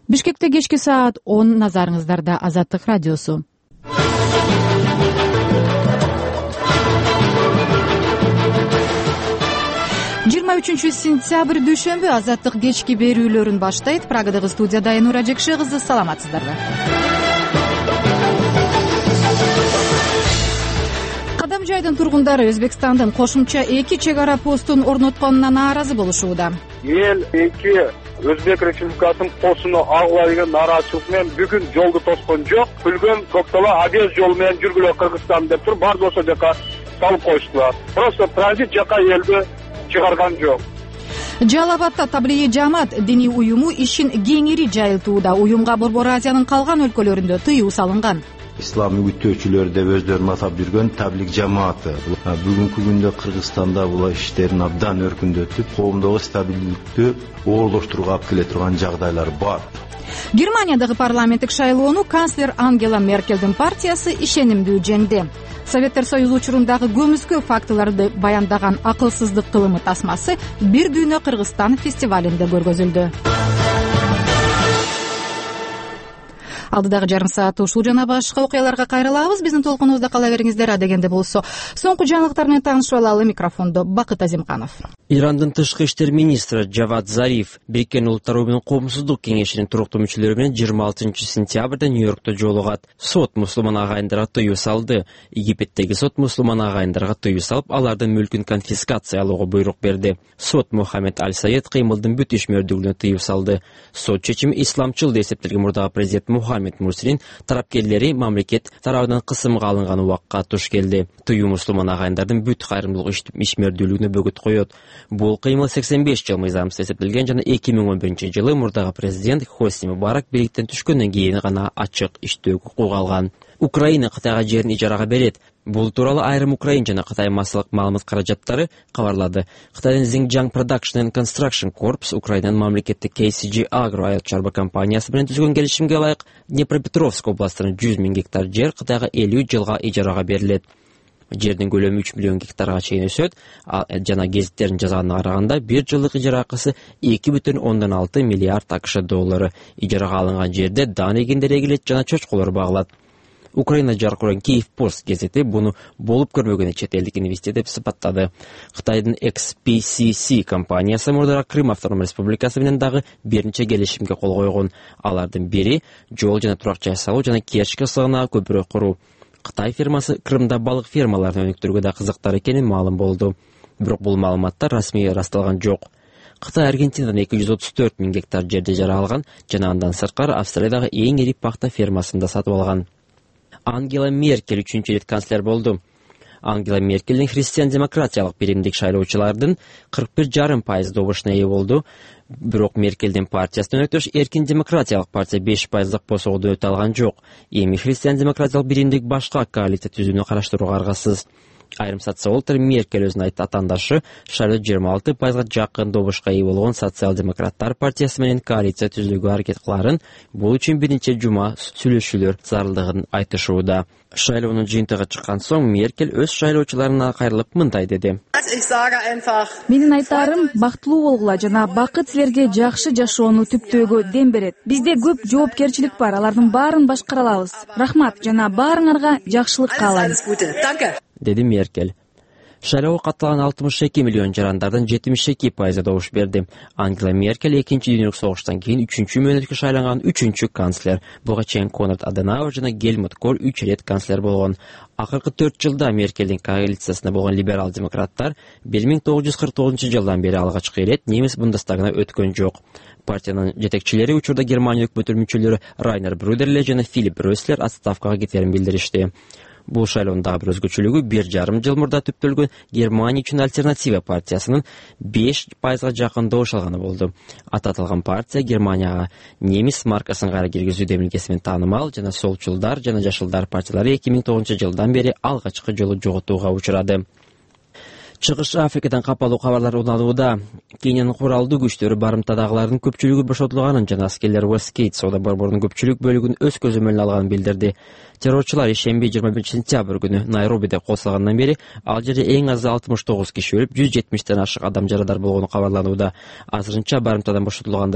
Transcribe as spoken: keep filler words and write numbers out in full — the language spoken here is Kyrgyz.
Бишкекте кечки саат он, назарыңыздарда Азаттык радиосу. жыйырма үчүнчү сентябрь дүйшөмбү Азаттык кечки берүүлөрүн баштайт. Прагадагы студияда Айнура Жекше кызы, саламатсыздарбы? Кадам жайдын тургундары Өзбекстандын кошумча эки чек ара постун орнотконуна нааразы болушууда. Эл эки Өзбек Республикасынын постуну агыла деген нааразычылык менен бүгүн жолду тоскон жок. Бүлгөн Коктала Одесса жолу менен жүргүлө Кыргызстан деп туруп, баардык ошол жака салып коюштулар. Просто транзит жака элди чыгарган жок. Жалал Абадда Таблигий жамаат диний уюму ишин кеңири жайылтууда. Уюмга Борбор Азиянын калган өлкөлөрүндө тыюу салынган. Ислам үгүттөөчүлөр деп өздөрүн атап жүргөн таблиг жамааты бүгүнкү күндө Кыргызстанда бул иштерин абдан өркүндөтүп, коомдогу стабилдүүлүктү оорлоштурууга алып келе турган жагдайлар бар. Германиядагы парламенттик шайлоону канцлер Ангела Меркелдин партиясы ишенимдүү жеңди. Советтер Союзу учурундагы көмүскө фактыларды баяндаган акылсыздык кылымы тасмасы бир дүйнө Кыргызстан фестивалинде көргөзүлдү. Алдыдагы жарым саат ушул жана башка окуяларга кайрылабыз. Биздин толкунубузда кала бериңиздер. Адегенде болсо, соңку жаңылыктар менен таанышып алалы. Микрофондо Бакыт Азимканов. Ирандын тышкы иштер министри Джавад Зариф Бириккен Улуттар уюмунун Коомсуздук кеңешинин туруктуу мүчөлөрү менен жыйырма алтынчы сентябрда Нью-Йоркто жолугат. Сот мусулман агайындарга тыюу салды. Египеттеги сот мусулман агайындарга тыюу салып, алардын мүлкүн конфискациялоого буйрук берди. Сот Мухаммед Аль-Саед кыймылдын бүт ишмердүүлүгүнө тыюу салды. Сот чечими исламчыл деп эсептелген мурдагы президент Мухаммед Мурсинин тарапкерлери мамлекет тарабынан кысымга алынган убакка туш келди. Тыюу мусулман агайындардын бүт кайрымдуулук ишмердүүлүгүнө бөгөт коет. Бул кыймыл сексен беш жыл мыйзамсыз эсептелген жана эки миң он биринчи жылы мурдагы президент Хосни Мубарак бийликтен түшкөндөн кийин гана ачык иштөөгө укук алган. Украина Кытайга жерин ижарага берет. Бул тууралуу айрым Украин жана Кытай массалык маалымат каражаттары кабарлады. Кытайдын Xinjiang Production and Construction Corps Украинанын мамлекеттик кей си джи Agro айыл чарба компаниясы менен түзгөн келишимге ылайык Днепропетровск областынын жүз миң гектар жер Кытайга элүү жылга ижарага берилет. Жердин көлөмү үч миллион гектарга чейин өсөт, жана гезиттердин жазганына караганда бир жылдык ижара акысы эки бүтүн ондон алты миллиард акш доллары. Ижарага алынган жерде дан эгиндер эгилет жана чочколор багылат. Украина жаркыран Киев Пост гезити буну болуп көрбөгөн чет элдик инвестиция деп сыпаттады. Кытайдын экс пи си си компаниясы мурдара Крым автоном республикасы менен дагы бир нече келишимге кол койгон. Алардын бири жол жана турак жай салуу жана Керчь сыгынагы көпүрө куруу. Кытай фирмасы Крымда балык фермаларын өнүктүрүүгө да кызыктар экени маалым болду. Бирок бул маалыматтар расмий ырасталган жок. Кытай Аргентинадан эки жүз отуз төрт миң гектар жерди ижара алган жана андан сырткары Австриядагы эң ири пахта фермасын да сатып алган. Ангела Меркель үчүнчү рет канцлер болду. Ангела Меркелдин христиан-демократиялык биримдик шайлоочулардын кырк бир жарым пайыз добушуна ээ болду. Бирок Меркелдин партиясынан өтөш эркин демократиялык партия беш пайыздык босоодон өтө алган жок. Эми христиан-демократиялык биримдик башка коалиция түзүүнү караштырууга аргасыз. Айрым социологдор Меркель өзүнүн атаандашы шайлоодо жыйырма алты пайызга жакын добушка ээ болгон социал-демократтар партиясы менен коалиция түзүүгө аракет кыларын, бул үчүн бир нече жума сүйлөшүүлөр зарылдыгын айтышууда. Шайлоонун жыйынтыгы чыккан соң Меркель өз шайлоочуларына кайрылып мындай деди. Менин айтарым, бактылуу болгула жана бакыт силерге жакшы жашоону түптөөгө дем берет. Бизде көп жоопкерчилик бар, алардын баарын башкара алабыз. Рахмат жана баарыңарга жакшылык каалайм, деди Меркель. Шайлоого катталган алтымыш эки миллион жарандардын жетимиш эки пайызы добуш берди. Ангела Меркель экинчи дүйнөлүк согуштан кийин үчүнчү мөөнөткө шайланган үчүнчү канцлер. Буга чейин Конрад Аденауэр жана Гельмут Коль үч рет канцлер болгон. Акыркы төрт жылда Меркелдин коалициясында болгон либерал-демократтар бир миң тогуз жүз кырк тогузунчу жылдан бери алгачкы ирет немис Бундестагына өткөн жок. Партиянын жетекчилери учурда Германия өкмөтүнүн мүчөлөрү Райнер Брюдерле жана Филипп Рөслер отставкага кетерин билдиришти. Бул шайлоонун дагы бир өзгөчөлүгү бир жарым жыл мурда түптөлгөн Германия үчүн альтернатива партиясынын беш пайызга жакын добуш алганы болду. Ататылган партия Германияга немис маркасын кайра киргизүү демилгеси менен таанымал жана солчулдар жана жашылдар партиялары эки миң тогузунчу жылдан бери алгачкы жолу жоготууга учурады. Чыгыш Африкадан капалуу кабарлар уналууда. Кениянын куралдуу күчтөрү барымтадагылардын көпчүлүгү бошотулганын жана аскерлер Westgate соода борборунун көпчүлүк бөлүгүн өз көзөмөлүнө алганын билдирди. Террорчулар ишемби жыйырма биринчи сентябрь күнү Найробиде кол салгандан бери ал жерде эң азы алтымыш тогуз киши өлүп, жүз жетимиштен ашык адам жарадар болгону кабарланууда. Азырынча барымтадан бошотулгандар